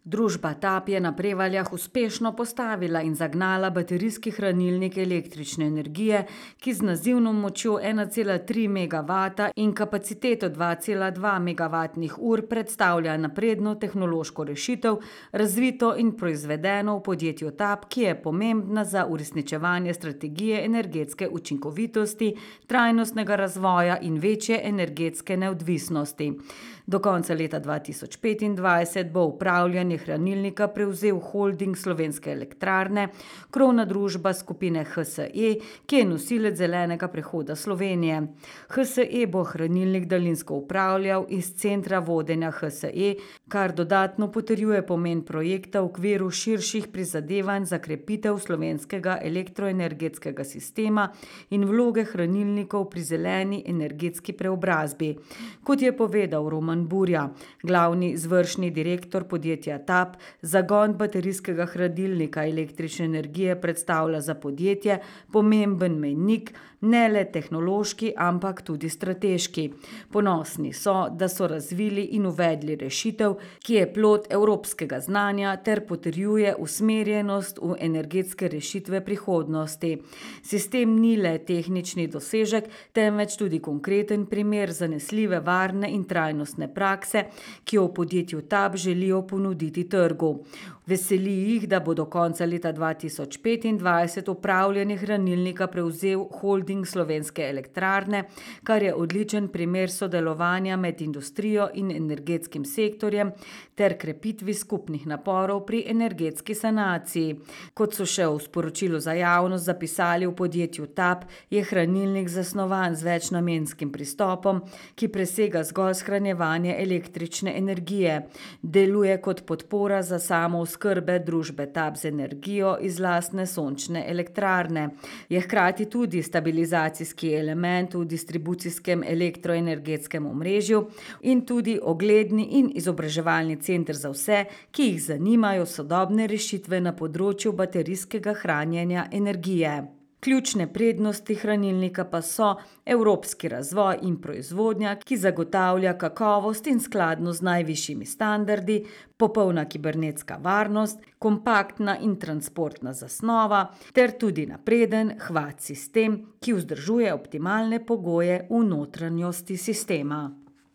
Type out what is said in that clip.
Družba TAP je na Prevaljah uspešno postavila in zagnala baterijski hranilnik električne energije, ki z nazivno močjo 1,3 megavata in kapaciteto 2,2 megavatnih ur predstavlja napredno tehnološko rešitev, razvito in proizvedeno v podjetju TAP, ki je pomembna za uresničevanje strategije energetske učinkovitosti, trajnostnega razvoja in večje energetske neodvisnosti. Do konca leta 2025 bo upravljanje hranilnika prevzel holding Slovenske elektrarne, krovna družba skupine HSE, ki je nosilec zelenega prehoda Slovenije. HSE bo hranilnik daljinsko upravljal iz centra vodenja HSE, kar dodatno potrjuje pomen projekta v okviru širših prizadevanj za krepitev slovenskega elektroenergetskega sistema in vloge hranilnikov pri zeleni energetski preobrazbi. Kot je povedal Roman Burja, glavni izvršni direktor podjetja TAP, zagon baterijskega hranilnika električne energije predstavlja za podjetje pomemben mejnik, ne le tehnološki, ampak tudi strateški. Ponosni so, da so razvili in uvedli rešitev, ki je plod evropskega znanja ter potrjuje usmerjenost v energetske rešitve prihodnosti. Sistem ni le tehnični dosežek, temveč tudi konkreten primer zanesljive, varne in trajnostne prakse, ki jo v podjetju TAP želijo ponuditi trgu. Veseli jih, da bo do konca leta 2025 upravljanje hranilnika prevzel holding Slovenske elektrarne, kar je odličen primer sodelovanja med industrijo in energetskim sektorjem ter krepitvi skupnih naporov pri energetski sanaciji. Kot so še v sporočilu za javnost zapisali v podjetju TAP, je hranilnik zasnovan z večnamenskim pristopom, ki presega zgolj shranjevanje električne energije. Deluje kot podpora za samooskrbe družbe TAP z energijo iz lastne sončne elektrarne. Je hkrati tudi stabilizacijski element v distribucijskem elektroenergetskem omrežju in tudi ogledni in izobraževalni center za vse, ki jih zanimajo sodobne rešitve na področju baterijskega hranjenja energije. Ključne prednosti hranilnika pa so evropski razvoj in proizvodnja, ki zagotavlja kakovost in skladnost z najvišjimi standardi, popolna kibernetska varnost, kompaktna in transportna zasnova ter tudi napreden HVAC sistem, ki vzdržuje optimalne pogoje v notranjosti sistema.